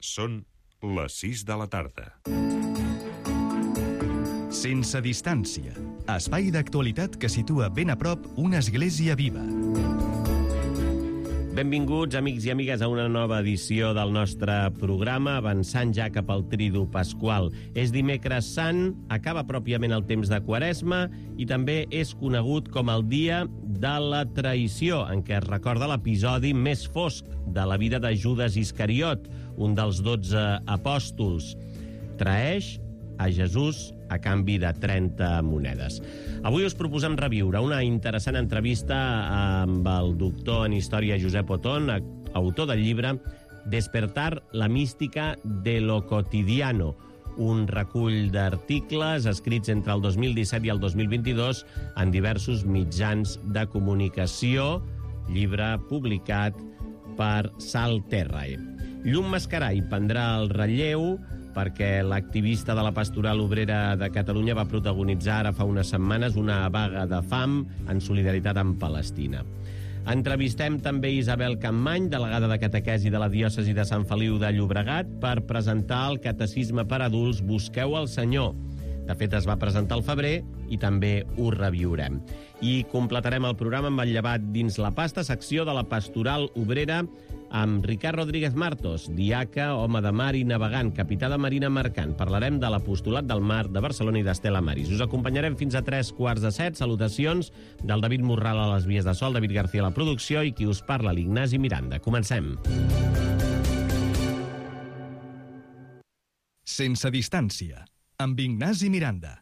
Són les 6 de la tarda. Sense distància. Espai d'actualitat que situa ben a prop una església viva. Benvinguts, amics i amigues, a una nova edició del nostre programa, avançant ja cap al Tridu Pasqual. És dimecres sant, acaba pròpiament el temps de Quaresma i també és conegut com el dia de la traïció, en què es recorda l'episodi més fosc de la vida de Judas Iscariot, un dels 12 apòstols. Traeix a Jesús a canvi de 30 monedes. Avui us proposem reviure una interessant entrevista amb el doctor en història Josep Otón, autor del llibre Despertar la mística de lo cotidiano, un recull d'articles escrits entre el 2017 i el 2022 en diversos mitjans de comunicació, llibre publicat per Sal Terrae. Llum Mascaray prendrà el relleu perquè l'activista de la Pastoral Obrera de Catalunya va protagonitzar ara fa unes setmanes una vaga de fam en solidaritat amb Palestina. Entrevistem també Isabel Campmany, delegada de catequesi de la diòcesi de Sant Feliu de Llobregat, per presentar el catecisme per adults Busqueu el Senyor. De fet, es va presentar al febrer i també ho reviurem. I completarem el programa amb el llevat dins la pasta, secció de la Pastoral Obrera, amb Ricard Rodríguez Martos, diaca, home de mar i navegant, capità de marina mercant. Parlarem de l'Apostolat del Mar de Barcelona i d'Estela Maris. Us acompanyarem fins a 7:45. Salutacions del David Morral a les vies de so, el David García a la producció i qui us parla, l'Ignasi Miranda. Comencem. Sense distància, amb Ignasi Miranda.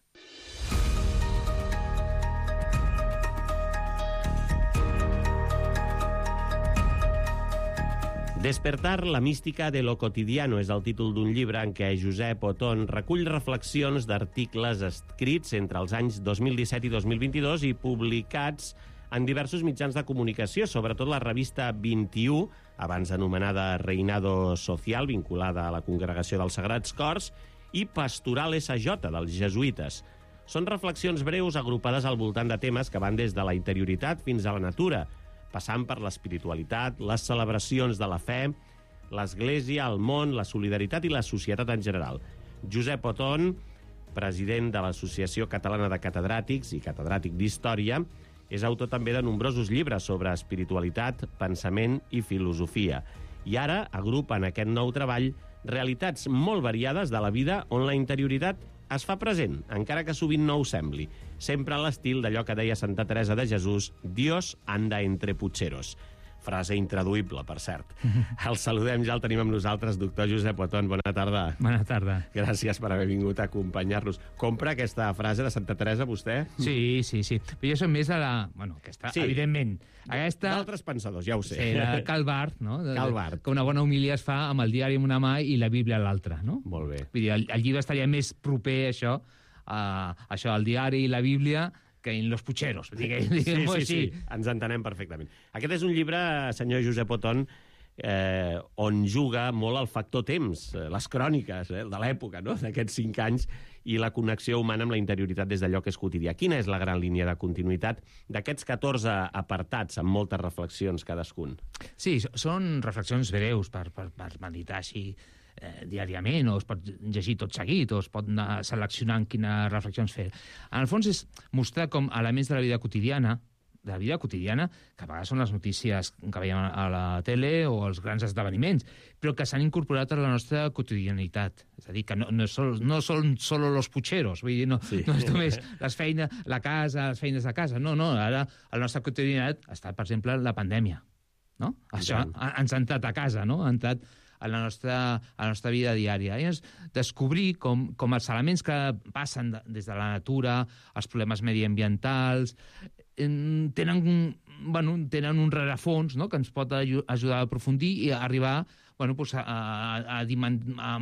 Despertar la mística de lo cotidiano és el títol d'un llibre en què Josep Otón recull reflexions d'articles escrits entre els anys 2017 i 2022 i publicats en diversos mitjans de comunicació, sobretot la revista 21, abans anomenada Reinado Social, vinculada a la Congregació dels Sagrats Cors, i Pastoral SJ, dels jesuïtes. Són reflexions breus agrupades al voltant de temes que van des de la interioritat fins a la natura, passant per l'espiritualitat, les celebracions de la fe, l'Església, el món, la solidaritat i la societat en general. Josep Otón, president de l'Associació Catalana de Catedràtics i catedràtic d'Història, és autor també de nombrosos llibres sobre espiritualitat, pensament i filosofia. I ara agrupa en aquest nou treball realitats molt variades de la vida on la interioritat es fa present, encara que sovint no ho sembli. Sempre a l'estil d'allò que deia Santa Teresa de Jesús, Dios anda entre pucheros. Frase intraduïble, per cert. El saludem, ja el tenim amb nosaltres, doctor Josep Otón. Bona tarda. Bona tarda. Gràcies per haver vingut a acompanyar-nos. Compra aquesta frase de Santa Teresa, vostè? Sí. Però jo soc més de la... Bueno, aquesta, sí. Evidentment. Aquesta... D'altres pensadors, ja ho sé. Sí, de Calvart, no? Calvart. Que una bona homilia es fa amb el diari en una mà i la Bíblia a l'altra, no? Molt bé. Vull dir, el llibre estaria més proper a això, al diari i la Bíblia, que en los pucheros, diguem-ho així. Sí, ens entenem perfectament. Aquest és un llibre, senyor Josep Otón, on juga molt el factor temps, les cròniques de l'època, no? D'aquests 5 anys, i la connexió humana amb la interioritat des d'allò que és quotidià. Quina és la gran línia de continuïtat d'aquests 14 apartats, amb moltes reflexions cadascun? Sí, són reflexions breus per meditar així diàriament, o es pot llegir tot seguit, o es pot anar seleccionant quines reflexions fer. En el fons és mostrar com elements de la vida quotidiana, que a vegades són les notícies que veiem a la tele o els grans esdeveniments, però que s'han incorporat a la nostra quotidianitat. És a dir, que no són solo los pucheros, vull dir, no és només les feines de casa, no, ara la nostra quotidianitat ha estat, per exemple, la pandèmia, no? Això ens ha entrat a casa, no? Ha entrat a la nostra vida diària. I és descobrir com els elements que passen des de la natura, els problemes mediambientals, tenen un rerefons, no?, que ens pot ajudar a aprofundir i a arribar a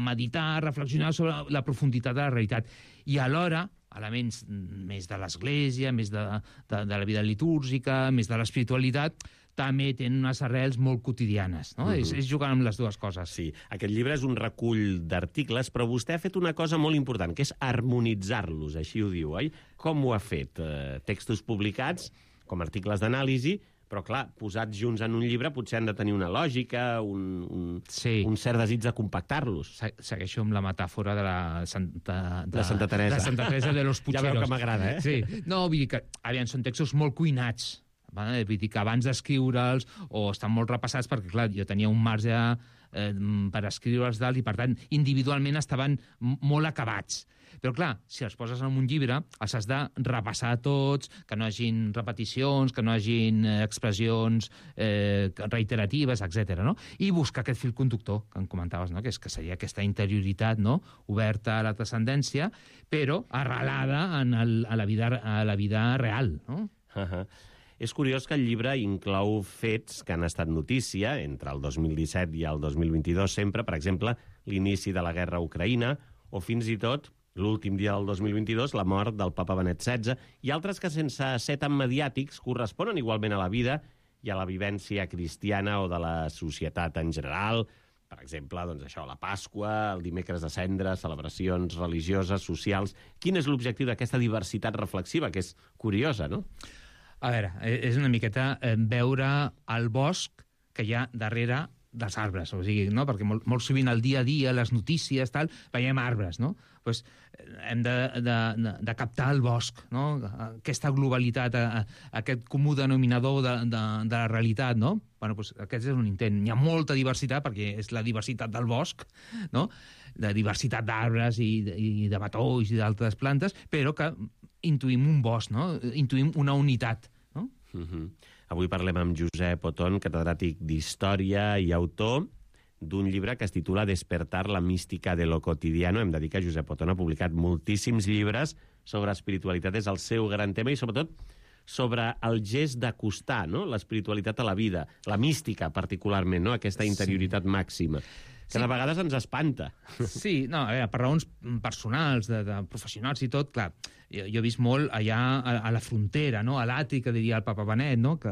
meditar, a reflexionar sobre la profunditat de la realitat. I alhora elements més de l'Església, més de la vida litúrgica, més de l'espiritualitat, també tenen unes arrels molt quotidianes, no? És jugar amb les dues coses. Sí, aquest llibre és un recull d'articles, però vostè ha fet una cosa molt important, que és harmonitzar-los, així ho diu, oi? Com ho ha fet? Textos publicats, com articles d'anàlisi, però clar, posats junts en un llibre potser han de tenir una lògica, un cert desig de compactar-los. Segueixo amb la metàfora de la Santa Teresa. De Santa Teresa de los Pucheros. Ja veu que m'agrada, eh? Sí. No, vull dir que, aviam, són textos molt cuinats. Vull dir que abans d'escriure'ls, o estan molt repassats, perquè, clar, jo tenia un marge per escriure'ls dalt i, per tant, individualment estaven molt acabats. Però, clar, si els poses en un llibre, els has de repassar tots, que no hagin repeticions, que no hagin expressions reiteratives, etc. No? I buscar aquest fil conductor que em comentaves, no? que seria aquesta interioritat, no? Oberta a la transcendència, però arrelada a la vida real. No? És curiós que el llibre inclou fets que han estat notícia entre el 2017 i el 2022 sempre, per exemple, l'inici de la guerra a Ucraïna, o fins i tot l'últim dia del 2022, la mort del papa Benet XVI, i altres que, sense ser tan mediàtics, corresponen igualment a la vida i a la vivència cristiana o de la societat en general. Per exemple, doncs això, la Pasqua, el dimecres de Cendres, celebracions religioses, socials. Quin és l'objectiu d'aquesta diversitat reflexiva, que és curiosa, no? A veure, és una miqueta veure el bosc que hi ha darrere dels arbres, o sigui, no? Perquè molt sovint al dia a dia, les notícies, tal, veiem arbres, no? Pues hem de captar el bosc, no? Aquesta globalitat, aquest comú denominador de la realitat, no? Bueno, pues aquest és un intent. Hi ha molta diversitat, perquè és la diversitat del bosc, no? De diversitat d'arbres i de matolls i d'altres plantes, però que intuïm un bosc, no? Intuïm una unitat, no? Avui parlem amb Josep Oton, catedràtic d'Història i autor d'un llibre que es titula Despertar la mística de lo cotidiano. Hem de dir que Josep Oton ha publicat moltíssims llibres sobre espiritualitat, és el seu gran tema, i sobretot sobre el gest d'acostar, no?, l'espiritualitat a la vida, la mística particularment, no?, aquesta interioritat màxima, que de vegades ens espanta. Sí, no, a veure, per raons personals, de professionals i tot, clar, jo he vist molt allà a la frontera, no?, a l'atri, que diria el papa Benet, no?, que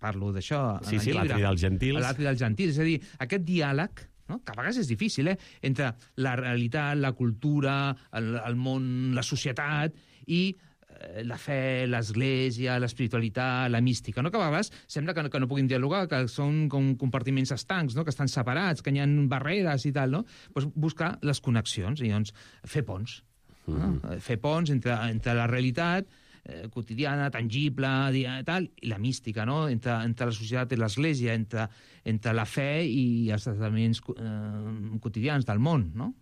parlo d'això en el llibre. Sí, l'atri dels gentils. L'atri dels gentils, és a dir, aquest diàleg, no?, que a vegades és difícil, entre la realitat, la cultura, el món, la societat i la fe, l'església, l'espiritualitat, la mística, no? Que a vegades sembla que no puguin dialogar, que són com compartiments estancs, no? Que estan separats, que hi ha barreres i tal, no? Pues buscar les connexions i doncs fer ponts. Fer ponts entre la realitat quotidiana, tangible, tal, i la mística, no? Entre la societat i l'església, entre la fe i els esdeveniments quotidians del món, no?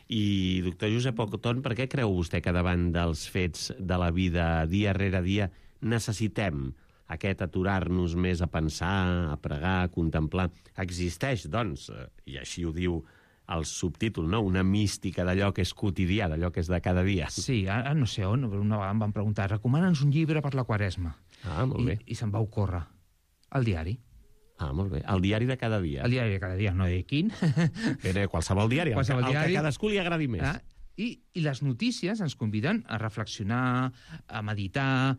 I, doctor Josep Oton, per què creu vostè que davant dels fets de la vida dia rere dia necessitem aquest aturar-nos més a pensar, a pregar, a contemplar? Existeix, doncs, i així ho diu el subtítol, no?, una mística d'allò que és quotidià, d'allò que és de cada dia. Sí, ara no sé on, però una vegada em van preguntar, recomana'ns un llibre per la Quaresma. Ah, molt bé. I se'm va ocórrer el diari. Ah, molt bé. El diari de cada dia. El diari de cada dia, no de quin. Però qualsevol diari, qualsevol el diari. Que a cadascú li agradi més. I les notícies ens conviden a reflexionar, a meditar,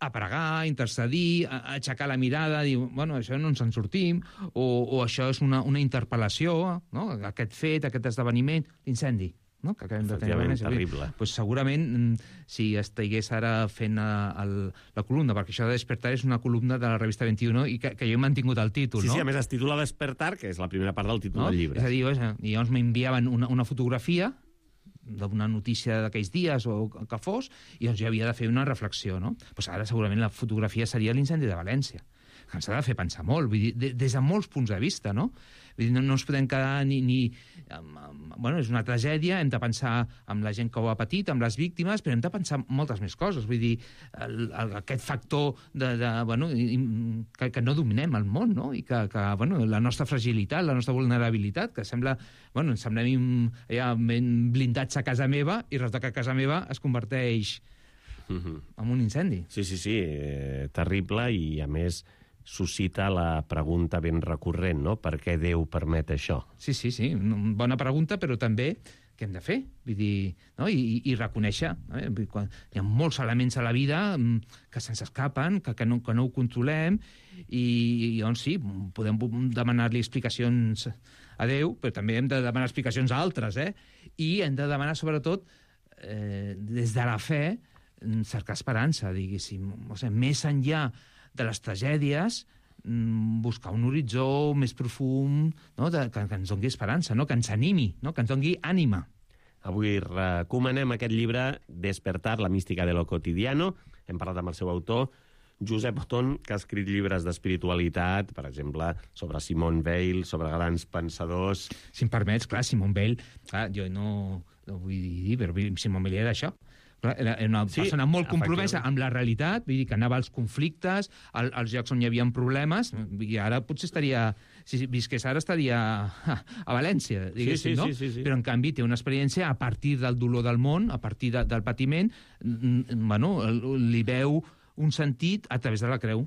a pregar, a intercedir, a aixecar la mirada, a dir, bueno, això no ens en sortim, o això és una interpel·lació, no?, aquest fet, aquest esdeveniment, l'incendi, no?, que acabem de tenir. Terrible. Pues segurament, si estigués ara fent la columna, perquè això de Despertar és una columna de la revista 21 i que jo he mantingut el títol, no? Sí, a més es titula Despertar, que és la primera part del títol del llibre. És a dir, i llavors m'enviaven una fotografia d'una notícia d'aquells dies o que fos, i doncs jo havia de fer una reflexió, no? Pues ara segurament la fotografia seria l'incendi de València, que ens ha de fer pensar molt, vull dir, des de molts punts de vista, no? Vull dir, no ens podem quedar bueno, és una tragèdia, hem de pensar amb la gent que ho ha patit, amb les víctimes, però hem de pensar moltes més coses, vull dir, aquest factor bueno, que no dominem el món, no? I que bueno, la nostra fragilitat, la nostra vulnerabilitat, que sembla, bueno, ens semblem ja ben blindats a casa meva, i resulta que a casa meva es converteix en un incendi. Sí, terrible, i a més suscita la pregunta ben recurrent, no? Per què Déu permet això? Sí, bona pregunta, però també què hem de fer? Vull dir, no? I reconèixer. Hi ha molts elements a la vida que se'ns escapen, que no ho controlem, i doncs sí, podem demanar-li explicacions a Déu, però també hem de demanar explicacions a altres, i hem de demanar, sobretot, des de la fe, cercar esperança, diguéssim. O sigui, més enllà de les tragèdies, buscar un horitzó més profund, no? Que ens doni esperança, no? Que ens animi, no? Que ens doni ànima. Avui recomanem aquest llibre, Despertar, la mística de lo cotidiano. Hem parlat amb el seu autor, Josep Oton, que ha escrit llibres d'espiritualitat, per exemple, sobre Simone Weil, sobre grans pensadors. Si em permets, clar, Simone Weil, clar, jo no vull dir, però Simone Weil era això. Era una persona molt compromesa amb la realitat, vull dir que anava als conflictes, als llocs on hi havia problemes, i ara potser estaria, si visqués ara estaria a València, diguéssim, no? Sí. Però en canvi té una experiència a partir del dolor del món, a partir del patiment, bueno, li veu un sentit a través de la creu.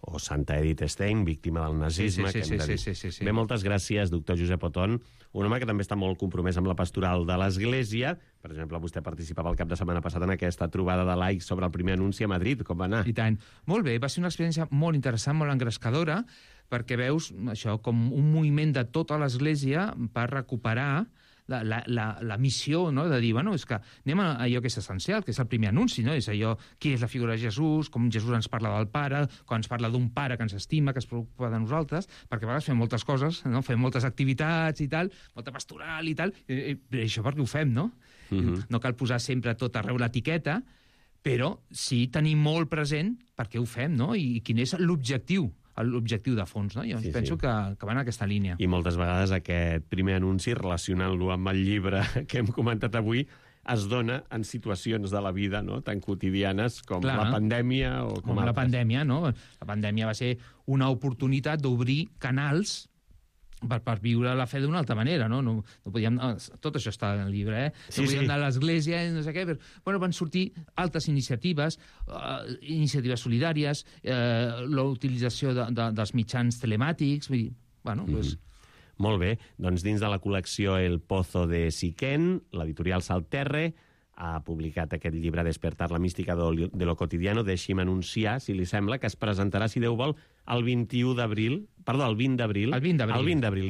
O Santa Edith Stein, víctima del nazisme, que hem de dir. Sí. Bé, moltes gràcies, doctor Josep Oton, un home que també està molt compromès amb la pastoral de l'Església. Per exemple, vostè participava el cap de setmana passat en aquesta trobada de laics sobre el primer anunci a Madrid. Com va anar? I tant. Molt bé, va ser una experiència molt interessant, molt engrescadora, perquè veus això com un moviment de tota l'Església per recuperar la missió, no? De dir, bueno, és que anem a allò que és essencial, que és el primer anunci, no? És allò, qui és la figura de Jesús, com Jesús ens parla del Pare, quan ens parla d'un Pare que ens estima, que es preocupa de nosaltres, perquè a vegades fem moltes coses, no? Fem moltes activitats i tal, molta pastoral i tal, i això perquè ho fem, no? No cal posar sempre tot arreu l'etiqueta, però sí tenir molt present per què ho fem, no? I quin és l'objectiu de fons, no? Jo penso que va en aquesta línia. I moltes vegades aquest primer anunci, relacionant-lo amb el llibre que hem comentat avui, es dona en situacions de la vida, no?, tan quotidianes com la pandèmia o com altres. La pandèmia, no? La pandèmia va ser una oportunitat d'obrir canals per viure la fe d'una altra manera, no? No podíem... Tot això està en el llibre, No podíem anar a l'església, no sé què, però bueno, van sortir altres iniciatives, iniciatives solidàries, la utilització dels mitjans telemàtics, vull dir, bueno, doncs... Molt bé, doncs dins de la col·lecció El Pozo de Siquén, l'editorial Salterre ha publicat aquest llibre Despertar, la mística de lo cotidiano. Deixi'm anunciar, si li sembla, que es presentarà, si Déu vol, el 20 d'abril,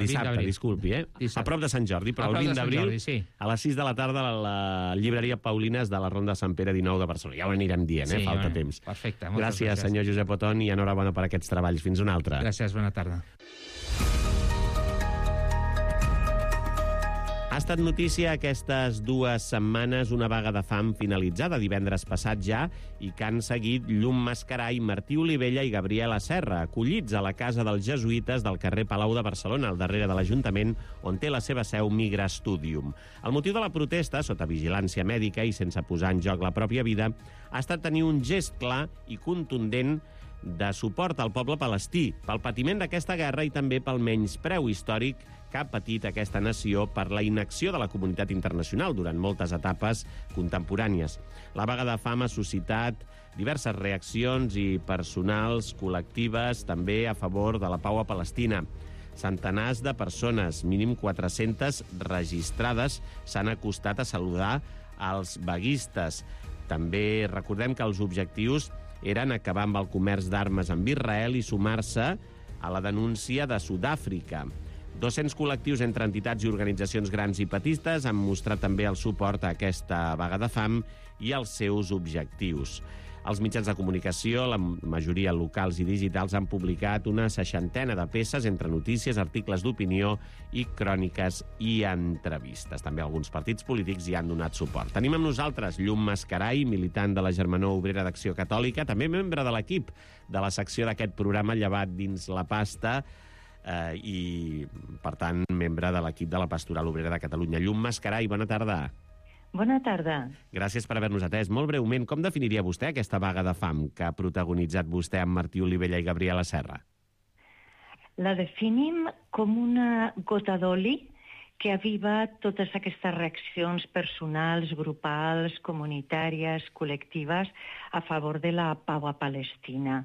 dissabte, disculpi, a prop de Sant Jordi, però el 20 d'abril, a les 6 de la tarda, a la llibreria Paulines de la Ronda Sant Pere 19 de Barcelona. Ja ho anirem dient, falta temps. Perfecte, gràcies, senyor Josep Oton, i enhorabona per aquests treballs. Fins una altra. Gràcies, bona tarda. Ha estat notícia aquestes 2 setmanes una vaga de fam finalitzada divendres passat ja i que han seguit Llum Mascaray, Martí Olivella i Gabriela Serra, acollits a la casa dels jesuïtes del carrer Palau de Barcelona, al darrere de l'Ajuntament, on té la seva seu Migra Studium. El motiu de la protesta, sota vigilància mèdica i sense posar en joc la pròpia vida, ha estat tenir un gest clar i contundent de suport al poble palestí, pel patiment d'aquesta guerra i també pel menyspreu històric que ha patit aquesta nació per la inacció de la comunitat internacional durant moltes etapes contemporànies. La vaga de fam ha suscitat diverses reaccions i personals, col·lectives, també a favor de la pau a Palestina. Centenars de persones, mínim 400 registrades, s'han acostat a saludar als vaguistes. També recordem que els objectius eren acabar amb el comerç d'armes amb Israel i sumar-se a la denúncia de Sud-àfrica. 200 col·lectius entre entitats i organitzacions grans i petistes han mostrat també el suport a aquesta vaga de fam i als seus objectius. Els mitjans de comunicació, la majoria locals i digitals, han publicat una 60ena de peces entre notícies, articles d'opinió i cròniques i entrevistes. També alguns partits polítics hi han donat suport. Tenim amb nosaltres Llum Mascaray, militant de la Germanor Obrera d'Acció Catòlica, també membre de l'equip de la secció d'aquest programa Llevat dins la pasta, i, per tant, membre de l'equip de la Pastoral Obrera de Catalunya. Llum Mascaray, bona tarda. Bona tarda. Gràcies per haver-nos atès. Molt breument, com definiria vostè aquesta vaga de fam que ha protagonitzat vostè amb Martí Olivella i Gabriela Serra? La definim com una gota d'oli que ha avivat totes aquestes reaccions personals, grupals, comunitàries, col·lectives a favor de la pau a Palestina.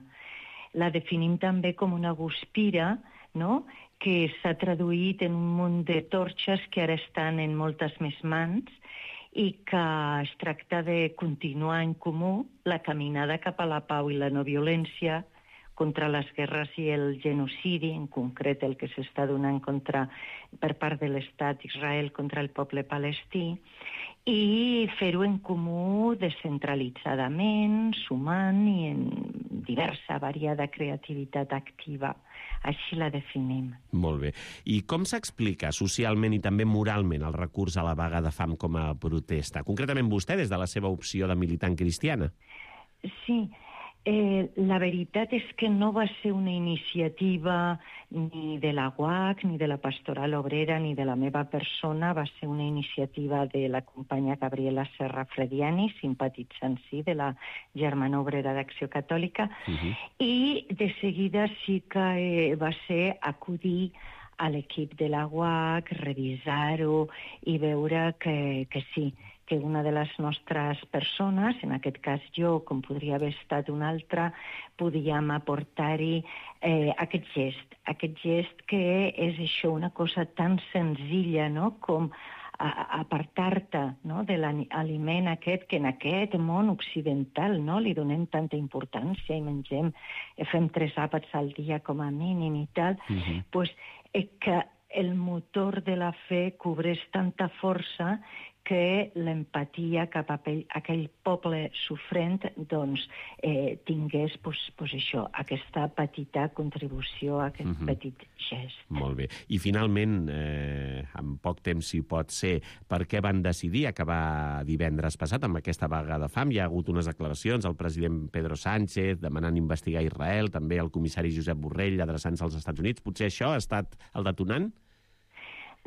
La definim també com una guspira, no?, que s'ha traduït en un munt de torxes que ara estan en moltes més mans i que es tracta de continuar en comú la caminada cap a la pau i la no violència contra les guerres i el genocidi, en concret el que s'està donant per part de l'Estat d'Israel contra el poble palestí, i fer-ho en comú descentralitzadament, sumant i en diversa variada creativitat activa. Així la definim. Molt bé. I com s'explica socialment i també moralment el recurs a la vaga de fam com a protesta? Concretament vostè, des de la seva opció de militant cristiana. Sí, la veritat és que no va ser una iniciativa ni de la UAC, ni de la Pastoral Obrera, ni de la meva persona. Va ser una iniciativa de la companya Gabriela Serra Frediani, simpatitzant de la Germana Obrera d'Acció Catòlica, i de seguida sí que va ser acudir a l'equip de la UAC, revisar-ho i veure que sí, que una de les nostres persones, en aquest cas jo, com podria haver estat una altra, podíem aportar-hi aquest gest que és això, una cosa tan senzilla, no?, com apartar-te, no?, de l'aliment aquest que en aquest món occidental, no?, li donem tanta importància i mengem, fem 3 àpats al dia com a mínim i tal, doncs que el motor de la fe cobreix tanta força que l'empatia cap a aquell poble sofrent doncs, tingués això, aquesta petita contribució, aquest petit gest. Molt bé. I finalment, en poc temps si pot ser, per què van decidir acabar divendres passat amb aquesta vaga de fam? Hi ha hagut unes declaracions al president Pedro Sánchez demanant investigar Israel, també el comissari Josep Borrell adreçant-se als Estats Units. Potser això ha estat el detonant?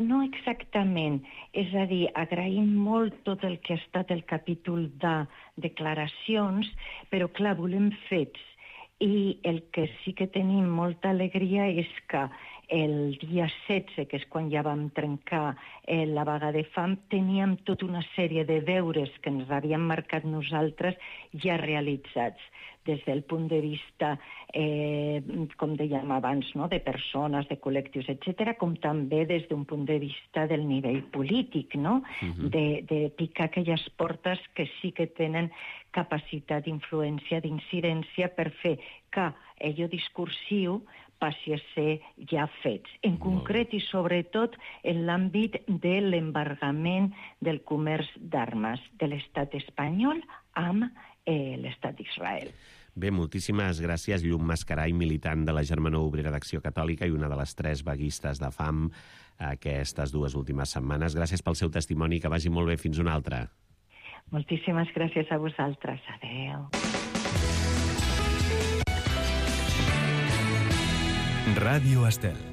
No exactament. És a dir, agraïm molt tot el que ha estat el capítol de declaracions, però clar, volem fets. I el que sí que tenim molta alegria és que el dia 16, que és quan ja vam trencar la vaga de fam, teníem tota una sèrie de deures que ens havíem marcat nosaltres ja realitzats, des del punt de vista, com dèiem abans, no?, de persones, de col·lectius, etc., com també des d'un punt de vista del nivell polític, no?, de picar aquelles portes que sí que tenen capacitat d'influència, d'incidència, per fer que allò discursiu passi a ser ja fets. En concret i sobretot en l'àmbit de l'embargament del comerç d'armes de l'estat espanyol amb l'estat d'Israel. Bé, moltíssimes gràcies, Llum Mascaray, militant de la Germana Obrera d'Acció Catòlica i una de les 3 vaguistes de fam aquestes 2 últimes setmanes. Gràcies pel seu testimoni, que vagi molt bé. Fins una altra. Moltíssimes gràcies a vosaltres. Adéu. Ràdio Estel.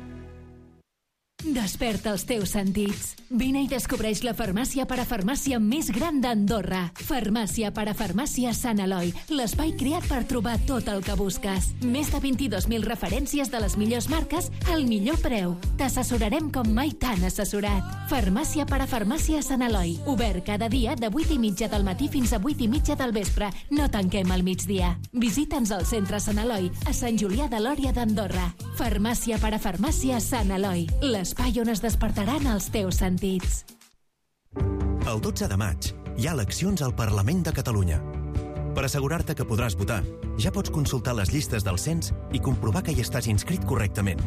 Desperta els teus sentits. Vine i descobreix la farmàcia parafarmàcia més gran d'Andorra. Farmàcia parafarmàcia Sant Eloi, l'espai creat per trobar tot el que busques. Més de 22.000 referències de les millors marques al millor preu. T'assessorarem com mai t'han assessorat. Farmàcia parafarmàcia Sant Eloi. Obert cada dia de 8:30 del matí fins a 8:30 del vespre. No tanquem al migdia. Visita'ns al centre Sant Eloi, a Sant Julià de Lòria d'Andorra. Farmàcia parafarmàcia Sant Eloi, l'espai on es despertaran els teus sentits. El 12 de maig hi ha eleccions al Parlament de Catalunya. Per assegurar-te que podràs votar, ja pots consultar les llistes del cens i comprovar que hi estàs inscrit correctament.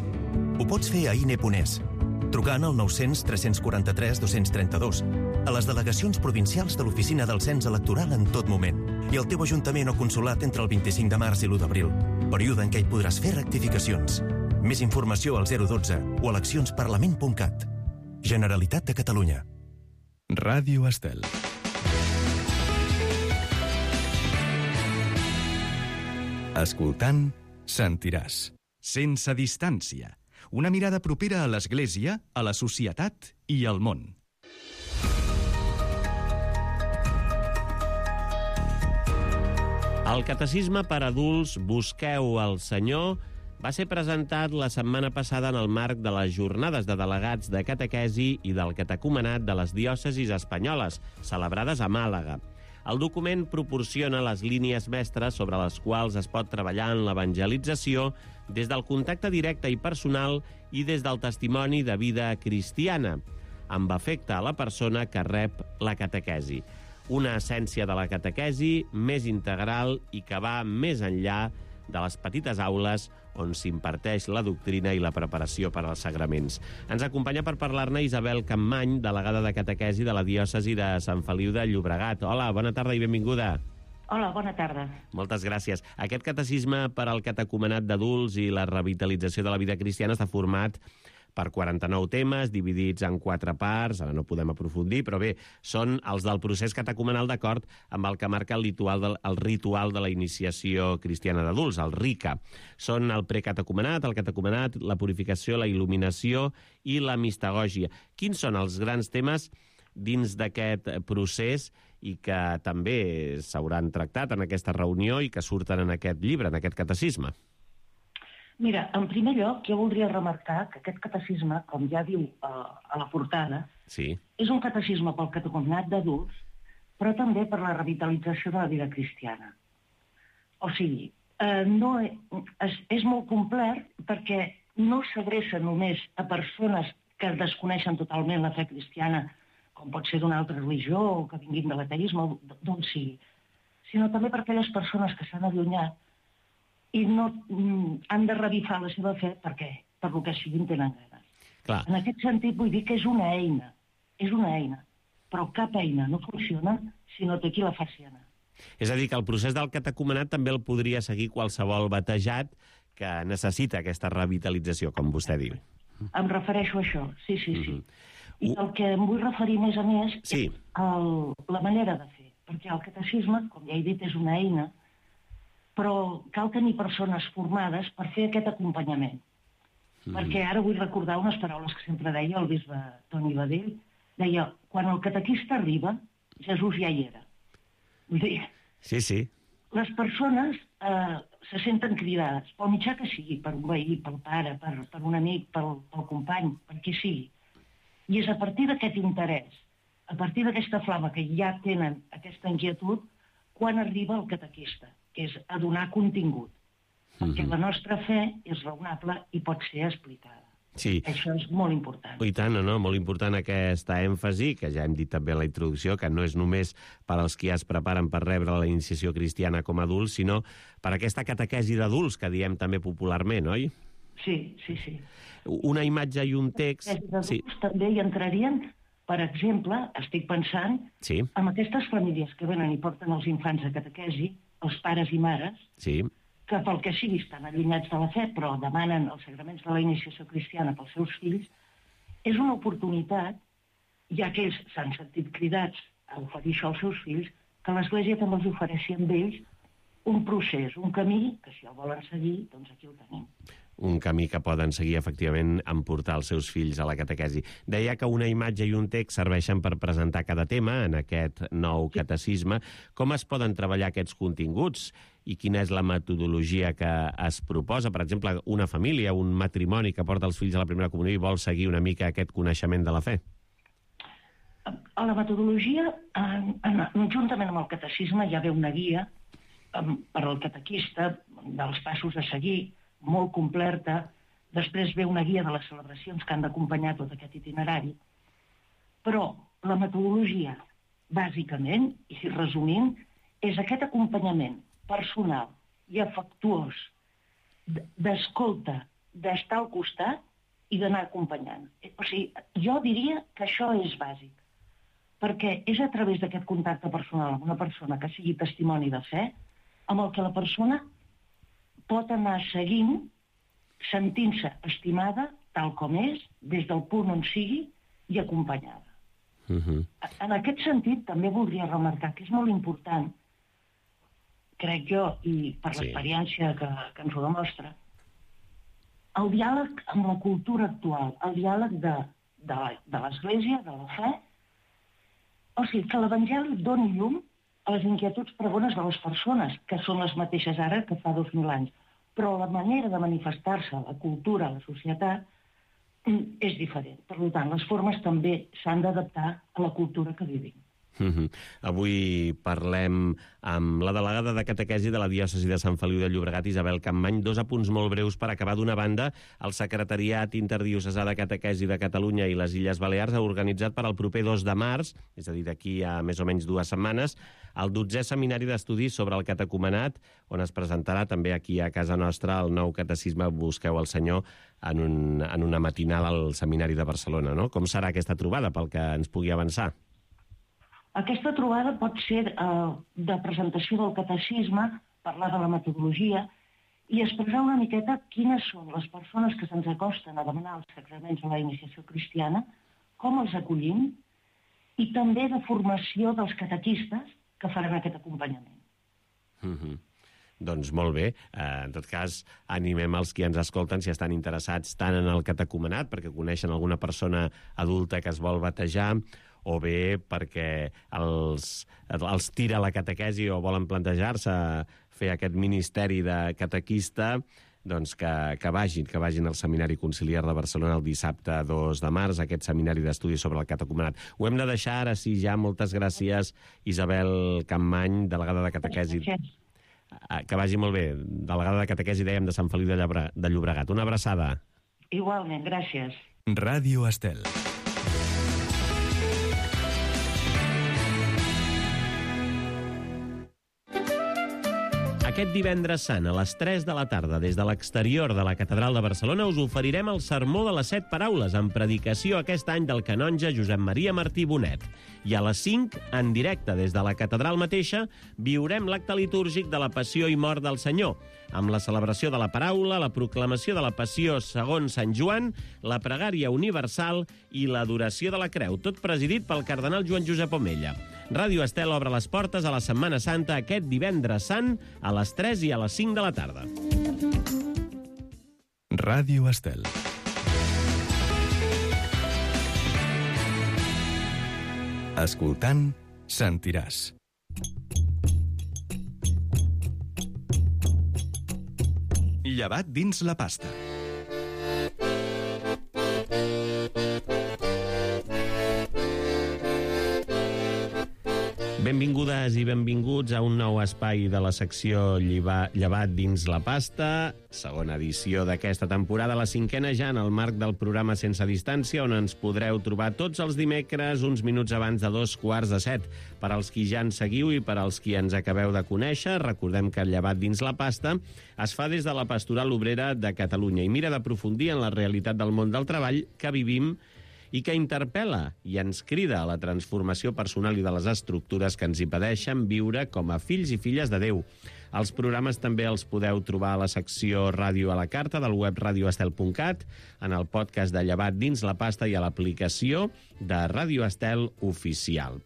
Ho pots fer a INE.es, trucant al 900 343 232, a les delegacions provincials de l'Oficina del Cens Electoral en tot moment, i al teu ajuntament o consolat entre el 25 de març i l'1 d'abril, període en què hi podràs fer rectificacions. Més informació al 012 o eleccionsparlament.cat. Generalitat de Catalunya. Ràdio Estel. Escoltant, sentiràs. Sense distància. Una mirada propera a l'Església, a la societat i al món. El Catecisme per adults Busqueu el Senyor va ser presentat la setmana passada en el marc de les jornades de delegats de catequesi i del catecumenat de les diòcesis espanyoles, celebrades a Màlaga. El document proporciona les línies mestres sobre les quals es pot treballar en l'evangelització des del contacte directe i personal i des del testimoni de vida cristiana, amb efecte a la persona que rep la catequesi. Una essència de la catequesi més integral i que va més enllà de les petites aules on s'imparteix la doctrina i la preparació per als sagraments. Ens acompanya per parlar-ne Isabel Campmany, delegada de catequesi de la diòcesi de Sant Feliu de Llobregat. Hola, bona tarda i benvinguda. Hola, bona tarda. Moltes gràcies. Aquest catecisme per al catecumenat d'adults i la revitalització de la vida cristiana està format per 49 temes, dividits en 4 parts, ara no podem aprofundir, però bé, són els del procés catecumenal d'acord amb el que marca el ritual de la iniciació cristiana d'adults, el RICA. Són el precatecumenat, el catecumenat, la purificació, la il·luminació i la mistagògia. Quins són els grans temes dins d'aquest procés i que també s'hauran tractat en aquesta reunió i que surten en aquest llibre, en aquest catecisme? Mira, en primer lloc, jo voldria remarcar que aquest catecisme, com ja diu a la portada, sí, és un catecisme pel catecumenat d'adults, però també per la revitalització de la vida cristiana. O sigui, és molt complet perquè no s'adreça només a persones que desconeixen totalment la fe cristiana, com pot ser d'una altra religió o que vinguin de l'ateisme o d'on sigui, sinó també per aquelles persones que s'han allunyat i no han de revifar la seva fe perquè, per lo que siguin, tenen ganes. clar. En aquest sentit vull dir que és una eina, però cap eina no funciona si no té qui la faci anar. És a dir, que el procés del catecumenat també el podria seguir qualsevol batejat que necessita aquesta revitalització, com vostè diu. Em refereixo a això, sí. I el que em vull referir més a més sí, és la manera de fer, perquè el catecisme, com ja he dit, és una eina, però cal tenir persones formades per fer aquest acompanyament. Perquè ara vull recordar unes paraules que sempre deia el bisbe Toni Badell. Deia, quan el catequista arriba, Jesús ja hi era. Vull dir, sí. les persones se senten cridades, pel mitjà que sigui, per un veí, pel pare, per un amic, pel company, per qui sigui. I és a partir d'aquest interès, a partir d'aquesta flama que ja tenen aquesta inquietud, quan arriba el catequista, que és a donar contingut. Perquè la nostra fe és raonable i pot ser explicada. Sí. Això és molt important. I tant, no? Molt important aquesta èmfasi, que ja hem dit també en la introducció, que no és només per als qui es preparen per rebre la iniciació cristiana com a adults, sinó per aquesta catequesi d'adults, que diem també popularment, oi? Sí. Una imatge i un text... Sí. També hi entrarien, per exemple, estic pensant, en aquestes famílies que venen i porten els infants a catequesi, els pares i mares, que pel que sigui estan allunyats de la fe, però demanen els sagraments de la iniciació cristiana pels seus fills, és una oportunitat, ja que ells s'han sentit cridats a oferir això als seus fills, que l'Església també els ofereixi amb ells un procés, un camí, que si el volen seguir, doncs aquí el tenim. Un camí que poden seguir, efectivament, en portar els seus fills a la catequesi. Deia que una imatge i un text serveixen per presentar cada tema en aquest nou catecisme. Com es poden treballar aquests continguts i quina és la metodologia que es proposa? Per exemple, una família, un matrimoni que porta els fills a la primera comunió i vol seguir una mica aquest coneixement de la fe. A la metodologia, juntament amb el catecisme, hi ha una guia per al catequista dels passos a seguir, molt completa. Després ve una guia de les celebracions que han d'acompanyar tot aquest itinerari. Però la metodologia, bàsicament, i si resumint, és aquest acompanyament personal i afectuós d'escolta, d'estar al costat i d'anar acompanyant. O sigui, jo diria que això és bàsic, perquè és a través d'aquest contacte personal amb una persona que sigui testimoni de fe, amb el que la persona pot anar seguint, sentint-se estimada, tal com és, des del punt on sigui, i acompanyada. En aquest sentit, també voldria remarcar que és molt important, crec jo, i per l'experiència que ens ho demostra, el diàleg amb la cultura actual, el diàleg de l'Església, de la fe, o sigui, que l'Evangeli doni llum a les inquietuds pregones de les persones, que són les mateixes ara que fa 2000 anys. Però la manera de manifestar-se, la cultura, la societat, és diferent. Per tant, les formes també s'han d'adaptar a la cultura que vivim. Avui parlem amb la delegada de catequesi de la diòcesi de Sant Feliu de Llobregat, Isabel Campmany. 2 apunts molt breus per acabar. D'una banda, el Secretariat Interdiocesà de Catequesi de Catalunya i les Illes Balears ha organitzat per al proper 2 de març, és a dir, d'aquí a més o menys 2 setmanes, el 12è seminari d'estudis sobre el catecumenat, on es presentarà també aquí a casa nostra el nou catecisme Busqueu el Senyor en una matinada al Seminari de Barcelona, no? Com serà aquesta trobada, pel que ens pugui avançar? Aquesta trobada pot ser de presentació del catecisme, parlar de la metodologia i expressar una miqueta quines són les persones que se'ns acosten a demanar els sacraments a la iniciació cristiana, com els acollim, i també de formació dels catequistes que faran aquest acompanyament. Doncs molt bé. En tot cas, animem els qui ens escolten, si estan interessats tant en el catecumenat, perquè coneixen alguna persona adulta que es vol batejar, o bé perquè els tira la catequesi o volen plantejar-se fer aquest ministeri de catequista, doncs que vagin al Seminari Conciliar de Barcelona el dissabte 2 de març, aquest seminari d'estudis sobre el catecumenat. Ho hem de deixar ara, sí, ja. Moltes gràcies, Isabel Campmany, delegada de catequesi. Que vagi molt bé. Delegada de catequesi, dèiem, de Sant Feliu de Llobregat. Una abraçada. Igualment, gràcies. Ràdio Estel. Aquest divendres sant, a les 3 de la tarda, des de l'exterior de la Catedral de Barcelona, us oferirem el Sermó de les 7 Paraules, en predicació aquest any del canonge Josep Maria Martí Bonet. I a les 5, en directe des de la Catedral mateixa, viurem l'acte litúrgic de la Passió i Mort del Senyor, amb la celebració de la paraula, la proclamació de la Passió segons Sant Joan, la pregària universal i l'adoració de la creu, tot presidit pel cardenal Joan Josep Omella. Ràdio Estel obre les portes a la Setmana Santa aquest divendres sant a les 3 i a les 5 de la tarda. Ràdio Estel. Escoltant, sentiràs. Llevat dins la pasta. Benvingudes i benvinguts a un nou espai de la secció Llevat dins la pasta, segona edició d'aquesta temporada, la 5a ja en el marc del programa Sense Distància, on ens podreu trobar tots els dimecres, uns minuts abans de 2:15. Per als qui ja ens seguiu i per als qui ens acabeu de conèixer, recordem que el Llevat dins la pasta es fa des de la Pastoral Obrera de Catalunya i mira d'aprofundir en la realitat del món del treball que vivim i que interpel·la i ens crida a la transformació personal i de les estructures que ens impedeixen viure com a fills i filles de Déu. Els programes també els podeu trobar a la secció Ràdio a la Carta del web radioestel.cat, en el podcast de Llevat dins la pasta i a l'aplicació de Ràdio Estel Oficial.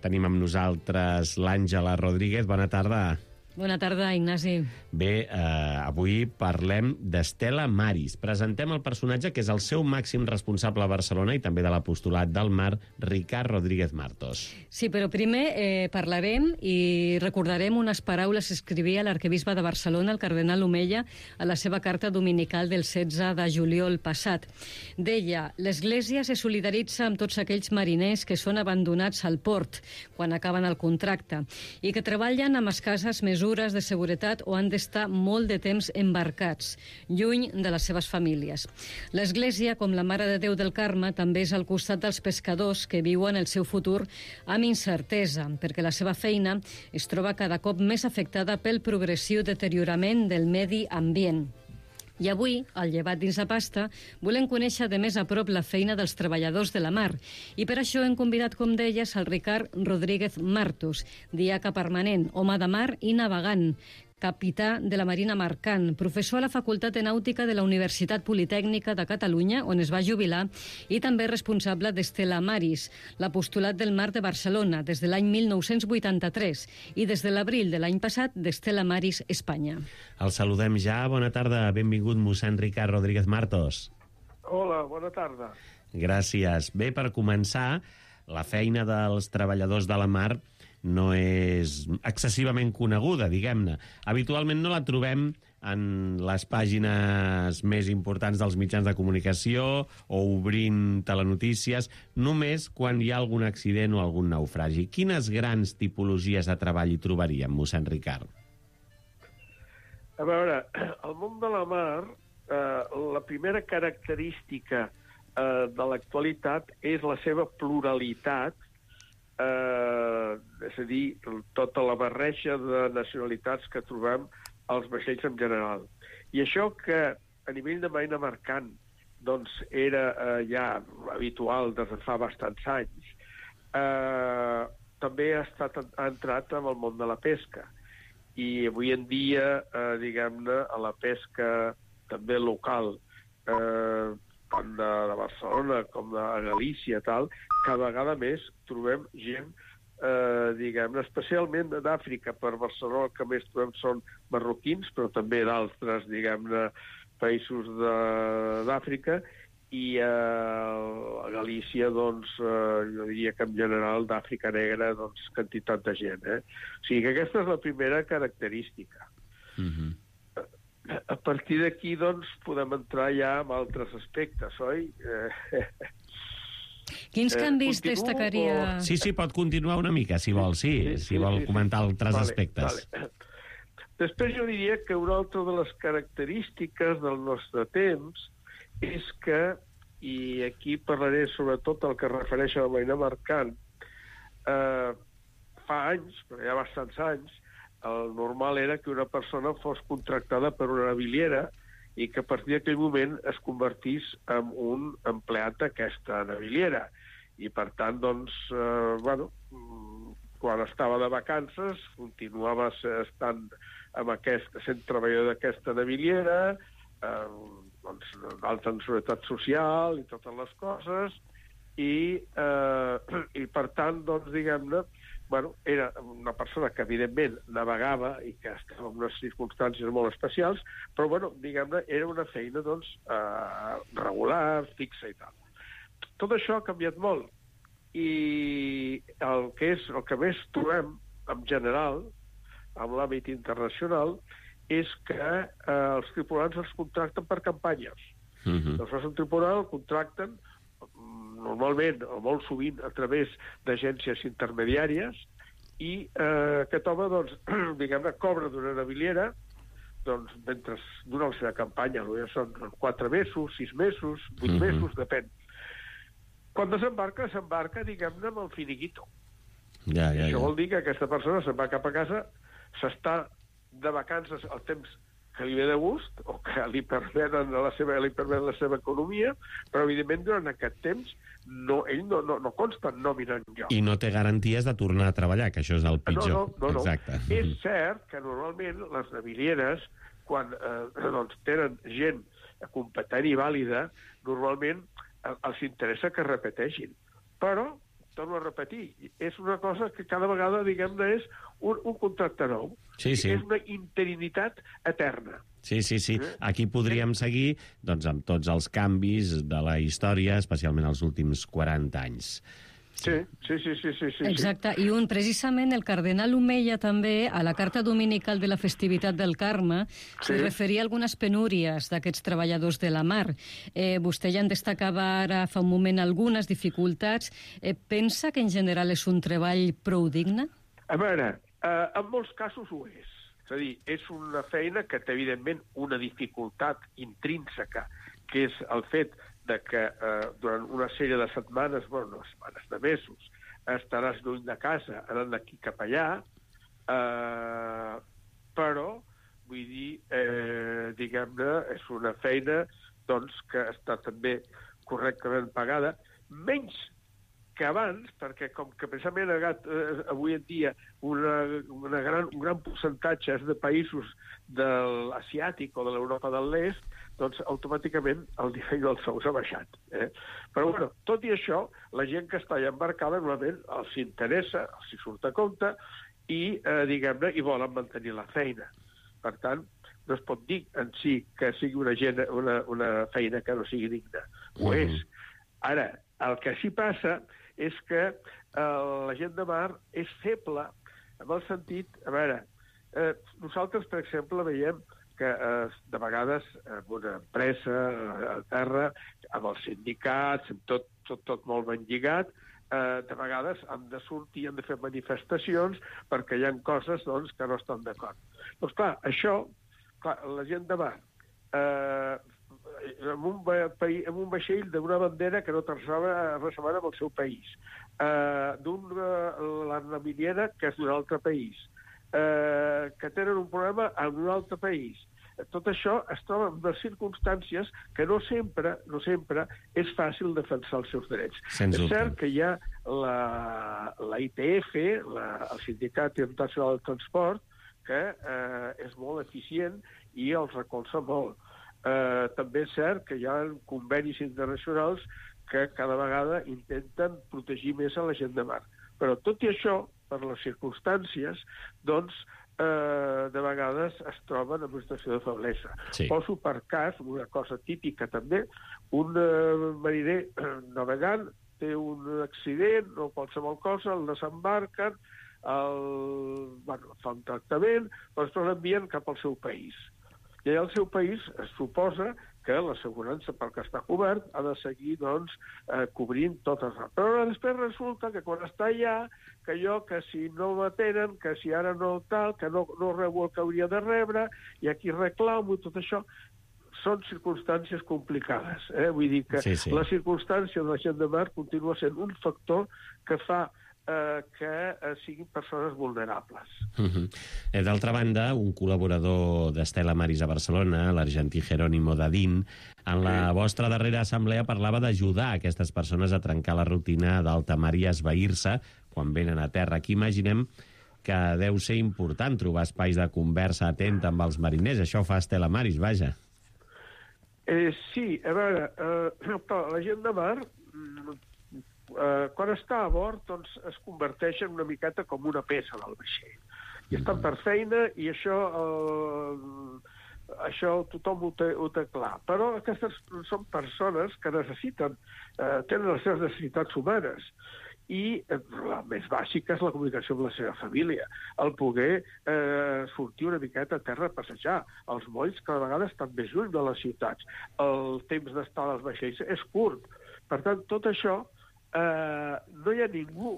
Tenim amb nosaltres l'Àngela Rodríguez. Bona tarda. Bona tarda, Ignasi. Bé, avui parlem d'Estela Maris. Presentem el personatge que és el seu màxim responsable a Barcelona i també de l'apostolat del Mar, Ricard Rodríguez Martos. Sí, però primer parlarem i recordarem unes paraules que escrivia l'arquebisbe de Barcelona, el cardenal Omella, a la seva carta dominical del 16 de juliol passat. Deia: l'Església se solidaritza amb tots aquells mariners que són abandonats al port quan acaben el contracte i que treballen amb escasses mesures de seguretat o han d'estar molt de temps embarcats, lluny de les seves famílies. L'Església, com la Mare de Déu del Carme, també és al costat dels pescadors que viuen el seu futur amb incertesa, perquè la seva feina es troba cada cop més afectada pel progressiu deteriorament del medi ambient. I avui, al Llevat dins la pasta, volem conèixer de més a prop la feina dels treballadors de la mar. I per això hem convidat, com deies, el Ricard Rodríguez Martos, diaca permanent, home de mar i navegant, capità de la Marina Mercant, professor a la Facultat de Nàutica de la Universitat Politècnica de Catalunya, on es va jubilar, i també responsable d'Estela Maris, l'apostolat del Mar de Barcelona, des de l'any 1983, i des de l'abril de l'any passat d'Estela Maris Espanya. El saludem ja. Bona tarda. Benvingut, mossèn Ricard Rodríguez Martos. Hola, bona tarda. Gràcies. Bé, per començar, la feina dels treballadors de la mar no és excessivament coneguda, diguem-ne. Habitualment no la trobem en les pàgines més importants dels mitjans de comunicació o obrint telenotícies, només quan hi ha algun accident o algun naufragi. Quines grans tipologies de treball hi trobaríem, mossèn Ricard? A veure, al món de la mar, la primera característica de l'actualitat és la seva pluralitat, és a dir, tota la barreja de nacionalitats que trobem als vaixells en general. I això que a nivell de marina mercant doncs, era ja habitual des de fa bastants anys, també ha entrat en el món de la pesca. I avui en dia, diguem-ne, a la pesca també local, tant de Barcelona com de Galícia, tal, cada vegada més trobem gent, diguem-ne, especialment d'Àfrica. Per Barcelona el que més trobem són marroquins, però també d'altres, diguem-ne, països d'Àfrica, i a Galícia, doncs, jo diria que en general d'Àfrica Negra, doncs, quantitat de gent. O sigui que aquesta és la primera característica. A partir d'aquí, doncs, podem entrar ja en altres aspectes, oi? Quins canvis destacaria? Sí, pot continuar una mica, si vol, si vol comentar altres aspectes. Després jo diria que una altra de les característiques del nostre temps és que, i aquí parlaré sobretot el que es refereix a la marina mercant, fa anys, però ja bastants anys, el normal era que una persona fos contractada per una naviliera i que a partir d'aquell moment es convertís en un empleat d'aquesta naviliera. I per tant, doncs, quan estava de vacances, continuava estant sent treballador d'aquesta naviliera, d'alta seguretat social i totes les coses, i per tant, doncs, diguem-ne, era una persona que, evidentment, navegava i que estava en unes circumstàncies molt especials, però, diguem-ne, era una feina, doncs, regular, fixa i tal. Tot això ha canviat molt, i el que més trobem, en general, en l'àmbit internacional, és que els tripulants els contracten per campanyes. Els fas un tripulant, el contracten normalment o molt sovint a través d'agències intermediàries i aquest home, doncs, diguem-ne, cobra d'una naviliera doncs, mentre dura la seva campanya. Ja són 4 mesos, 6 mesos, 8 mesos, depèn. Quan desembarca, diguem-ne, amb el finiquito. Això vol dir que aquesta persona se'n va cap a casa, s'està de vacances el temps que li ve de gust o que li permet la seva economia, però evidentment durant aquest temps ell no consta en nòmina enlloc. I no té garanties de tornar a treballar, que això és el pitjor. No. Exacte. És cert que normalment les navilieres, quan tenen gent competent i vàlida, normalment els interessa que repeteixin. Però, torno a repetir, és una cosa que cada vegada, diguem-ne, és un contracte nou. És una interinitat eterna. Sí. Aquí podríem seguir amb tots els canvis de la història, especialment els últims 40 anys. Sí. Exacte, i precisament el cardenal Omeya també, a la carta dominical de la festivitat del Carme, se referia a algunes penúries d'aquests treballadors de la mar. Vostè ja en destacava ara fa un moment algunes dificultats. Pensa que en general és un treball prou digne? A veure, en molts casos ho és. És a dir, és una feina que té, evidentment, una dificultat intrínseca, que és el fet de que durant una sèrie de setmanes, de mesos, estaràs lluny de casa, anant d'aquí cap allà, però, vull dir, diguem-ne, és una feina que està també correctament pagada, menys que abans, perquè com que precisament avui en dia un gran percentatge és de països de l'asiàtic o de l'Europa de l'Est, doncs automàticament el nivell dels sous ha baixat. Però, tot i això, la gent que està allà embarcada normalment els interessa, els surt a compte i, diguem-ne, hi volen mantenir la feina. Per tant, no es pot dir en si que sigui una feina que no sigui digna. Ho és. Ara, el que sí passa és que la gent de mar és feble en el sentit... A veure, nosaltres, per exemple, veiem que de vegades en una empresa a terra, amb els sindicats, amb tot molt ben lligat, de vegades han de sortir, han de fer manifestacions perquè hi ha coses doncs, que no estan d'acord. Doncs clar, això, la gent de mar, amb un vaixell d'una bandera que no té res a veure amb el seu país, la naviliera que és d'un altre país, que tenen un problema en un altre país. Tot això es troba en unes circumstàncies que no sempre és fàcil defensar els seus drets. És cert que hi ha la ITF, el Sindicat Internacional del Transport, que és molt eficient i els recolza molt. També és cert que hi ha convenis internacionals que cada vegada intenten protegir més a la gent de mar. Però tot i això, per les circumstàncies, doncs, de vegades es troben en una situació de feblesa. Sí. Poso per cas una cosa típica també, un mariner navegant té un accident o qualsevol cosa, el desembarquen, fa un tractament, doncs l'envien cap al seu país. I al seu país es suposa que l'assegurança pel que està cobert ha de seguir doncs, cobrint totes. Però després resulta que quan està allà, que si no m'atenen, que si ara no tal, que no rebo el que hauria de rebre, i aquí reclamo i tot això, són circumstàncies complicades. Vull dir que la circumstància de la gent de mar continua sent un factor que fa que siguin persones vulnerables. D'altra banda, un col·laborador d'Estela Maris a Barcelona, l'argentí Jerónimo Dadín, en la vostra darrera assemblea parlava d'ajudar aquestes persones a trencar la rutina d'alta mar i a esvair-se quan venen a terra. Aquí imaginem que deu ser important trobar espais de conversa atenta amb els mariners. Això fa Estela Maris, vaja. Sí, a veure, la gent de mar quan està a bord doncs, es converteixen una miqueta com una peça del vaixell. I estan per feina i això tothom ho té clar. Però aquestes són persones que tenen les seves necessitats humanes. I la més bàsica és la comunicació amb la seva família, el poder sortir una miqueta a terra a passejar, els molls cada vegada estan més lluny de les ciutats, el temps d'estar als vaixells és curt. Per tant, tot això no hi ha ningú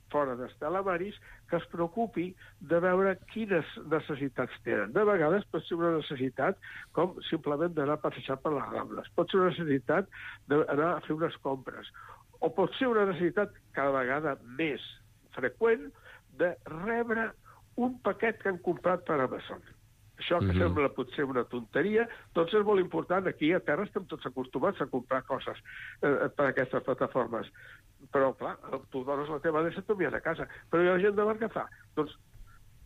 fora d'Estela Maris que es preocupi de veure quines necessitats tenen. De vegades pot ser una necessitat com simplement d'anar a passejar per les Rambles, pot ser una necessitat d'anar a fer unes compres, o pot ser una necessitat cada vegada més freqüent de rebre un paquet que han comprat per Amazon. Això que sembla potser una tonteria, doncs és molt important. Aquí a terra estem tots acostumats a comprar coses per aquestes plataformes. Però, clar, tu dones la teva adreça i t'ho envien a casa. Però hi ha gent de mar que fa? Doncs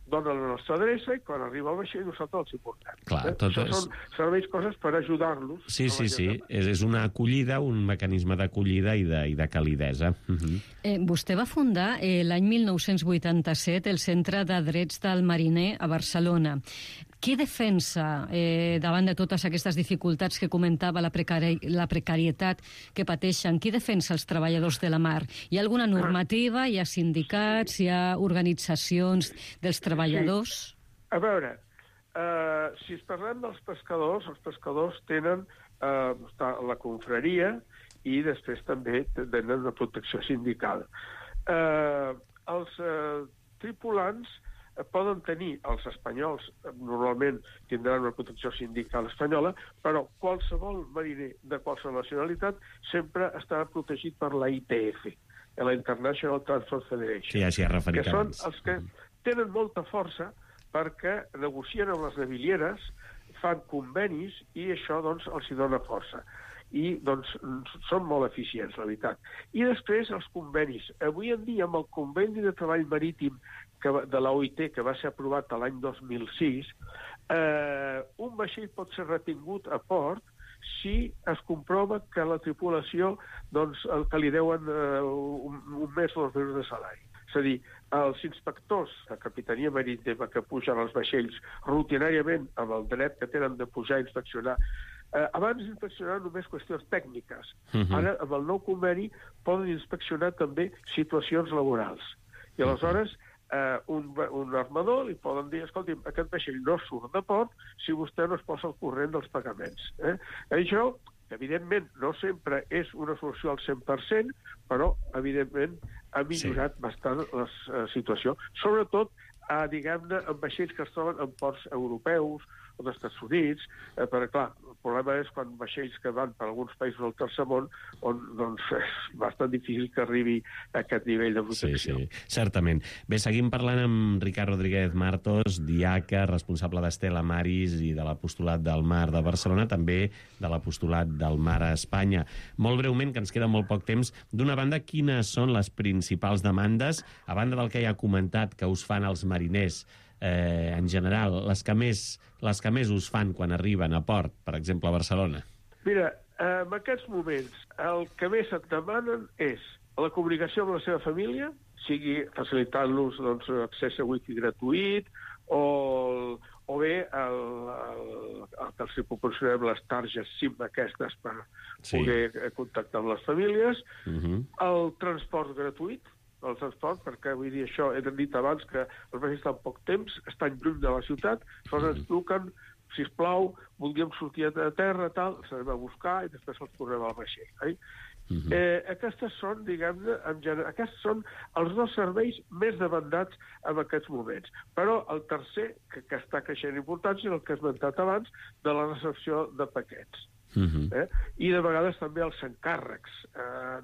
dona la nostra adreça i quan arriba al vaixell nosaltres els hi portem. Això són serveis coses per ajudar-los. Sí. És una acollida, un mecanisme d'acollida i de calidesa. Vostè va fundar l'any 1987 el Centre de Drets del Mariner a Barcelona. Què defensa davant de totes aquestes dificultats que comentava, la precarietat que pateixen? Qui defensa els treballadors de la mar? Hi ha alguna normativa? Hi ha sindicats? Hi ha organitzacions dels treballadors? Sí. A veure, si parlem dels pescadors, els pescadors tenen la confraria i després també tenen una protecció sindical. Els tripulants poden tenir, els espanyols normalment tindran una protecció sindical espanyola, però qualsevol mariner de qualsevol nacionalitat sempre estarà protegit per la ITF, la International Transport Federation, que són els que tenen molta força perquè negocien amb les navilieres, fan convenis i això doncs, els hi dona força. I doncs són molt eficients, la veritat. I després els convenis. Avui en dia, amb el conveni de treball marítim de la OIT, que va ser aprovat l'any 2006, un vaixell pot ser retingut a port si es comprova que la tripulació doncs, el que li deuen un mes o 2 mesos de salari. És a dir, els inspectors de Capitania Marítima que pugen als vaixells rutinàriament amb el dret que tenen de pujar i inspeccionar, abans d'inspeccionar només qüestions tècniques. Ara, amb el nou conveni, poden inspeccionar també situacions laborals. I aleshores un armador li poden dir, escolti'm, aquest vaixell no surt de port si vostè no es posa al corrent dels pagaments. Això, evidentment, no sempre és una solució al 100%, però, evidentment, ha millorat bastant la situació. Sobretot, diguem-ne, en vaixells que es troben en ports europeus o d'Estats Units, perquè, clar, el problema és quan vaixells que van per alguns països del tercer món, on doncs, és bastant difícil que arribi a aquest nivell de protecció. Sí, certament. Bé, seguim parlant amb Ricard Rodríguez Martos, diaca, responsable d'Estela Maris i de l'Apostolat del Mar de Barcelona, també de l'Apostolat del Mar a Espanya. Molt breument, que ens queda molt poc temps, d'una banda, quines són les principals demandes, a banda del que ja ha comentat, que us fan els mariners, en general, les que més us fan quan arriben a port, per exemple, a Barcelona? Mira, en aquests moments, el que més et demanen és la comunicació amb la seva família, sigui facilitant-los doncs, accés a wifi gratuït, o bé que els proporcionem les targes SIM aquestes per poder contactar amb les famílies, el transport gratuït, perquè, vull dir, això he dit abans que els vaixells estan poc temps, estan lluny de la ciutat, sols ens truquen, sisplau, voldríem sortir a terra, tal, els anem a buscar i després els tornem al vaixell. Aquestes són, diguem-ne, aquests són els dos serveis més demandats en aquests moments. Però el tercer, que està creixent importància, és el que he esmentat abans, de la recepció de paquets. I de vegades també els encàrrecs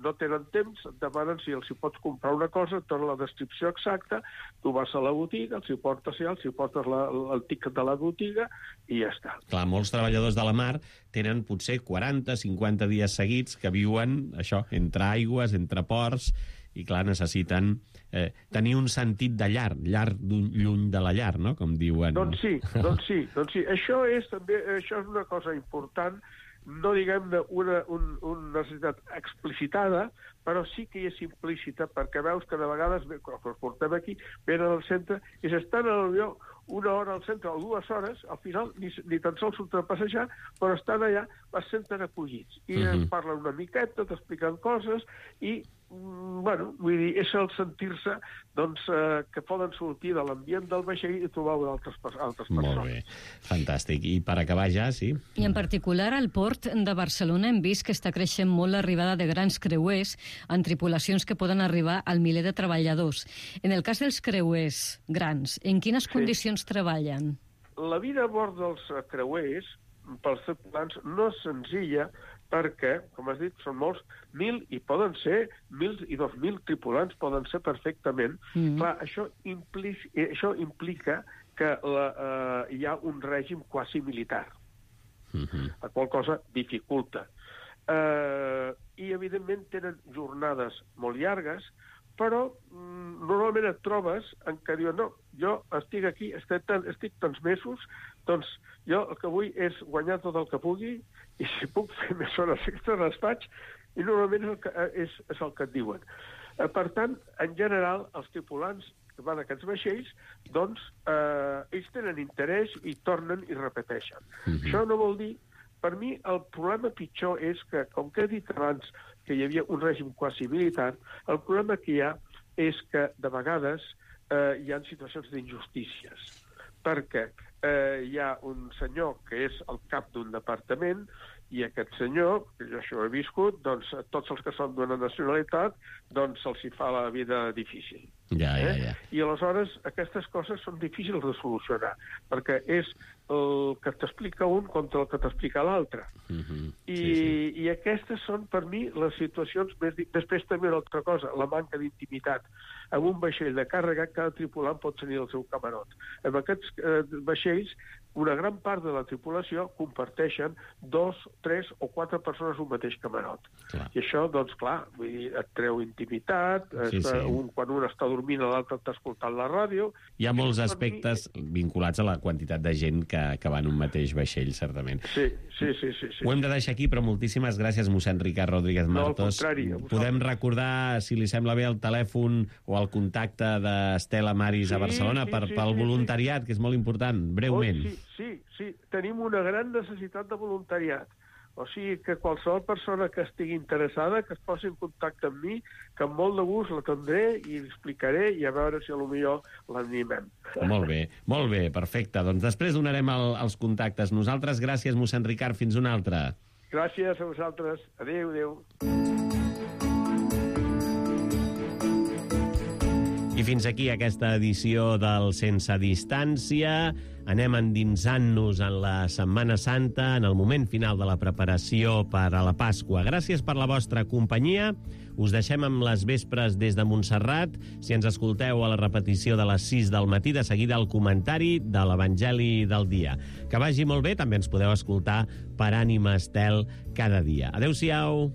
no tenen temps, et demanen si els hi pots comprar una cosa, et donen la descripció exacta, tu vas a la botiga, els hi portes el tiquet de la botiga i ja està. Clar, molts treballadors de la mar tenen potser 40-50 dies seguits que viuen això, entre aigües, entre ports, i clar, necessiten tenir un sentit de llar lluny de la llar, no?, com diuen. Doncs sí. Això és una cosa important, no diguem-ne una necessitat explicitada, però sí que és implícita, perquè veus que de vegades, quan els portem aquí, venen al centre i s'estan a l'avió una hora al centre o 2 hores, al final ni tan sols surten a passejar, però estan allà, es senten acollits. I parlen una miqueta, t'expliquen coses, i bueno, vull dir, és el sentir-se doncs, que poden sortir de l'ambient del vaixell i trobar altres persones. Molt bé, fantàstic. I per acabar ja, sí? I en particular al port de Barcelona hem vist que està creixent molt l'arribada de grans creuers en tripulacions que poden arribar al miler de treballadors. En el cas dels creuers grans, en quines condicions treballen? La vida a bord dels creuers, pels tripulants, no és senzilla, perquè, com has dit, són molts, 1.000 i poden ser 1.000 i 2.000 tripulants poden ser perfectament. Clar, això implica que hi ha un règim quasi militar, la qual cosa dificulta. I, evidentment, tenen jornades molt llargues, però normalment et trobes en què diuen, no, jo estic aquí, estic tants mesos, doncs jo el que vull és guanyar tot el que pugui i si puc fer més hores extra les faig, i normalment és el que et diuen. Per tant, en general, els tripulants que van a aquests vaixells, doncs ells tenen interès i tornen i repeteixen. Això no vol dir, per mi, el problema pitjor és que, com que he dit abans que hi havia un règim quasi militar, el problema que hi ha és que, de vegades, hi ha situacions d'injustícies. Perquè hi ha un senyor que és el cap d'un departament i aquest senyor, que jo això ho he viscut, doncs tots els que són d'una nacionalitat, doncs se'ls hi fa la vida difícil. Ja. I aleshores aquestes coses són difícils de solucionar, perquè és el que t'explica un contra el que t'explica l'altre. I aquestes són, per mi, les situacions més... Després també una altra cosa, la manca d'intimitat. En un vaixell de càrrega, cada tripulant pot tenir el seu camarot. En aquests vaixells, una gran part de la tripulació comparteixen 2, 3 o 4 persones un mateix camarot. I això, doncs, clar, vull dir, et treu intimitat, quan un està dormint, l'altre està escoltant la ràdio... Hi ha molts aspectes vinculats a la quantitat de gent que va en un mateix vaixell, certament. Sí. Ho hem de deixar aquí, però moltíssimes gràcies, mossèn Ricard Rodríguez Martos. No, al contrari. Podem recordar, si li sembla bé, el telèfon o el contacte d'Estela Maris a Barcelona pel voluntariat, que és molt important, breument. Sí. Tenim una gran necessitat de voluntariat. O sigui que qualsevol persona que estigui interessada que es posi en contacte amb mi, que amb molt de gust l'atendré i l'explicaré i a veure si potser l'animem. Molt bé, perfecte. Doncs després donarem els contactes. Nosaltres, gràcies, mossèn Ricard, fins una altra. Gràcies a vosaltres. Adéu. I fins aquí aquesta edició del Sense Distància. Anem endinsant-nos en la Setmana Santa, en el moment final de la preparació per a la Pasqua. Gràcies per la vostra companyia. Us deixem amb les vespres des de Montserrat. Si ens escolteu a la repetició de les 6 del matí, de seguida el comentari de l'Evangeli del dia. Que vagi molt bé, també ens podeu escoltar per Ànima Estel cada dia. Adéu-siau!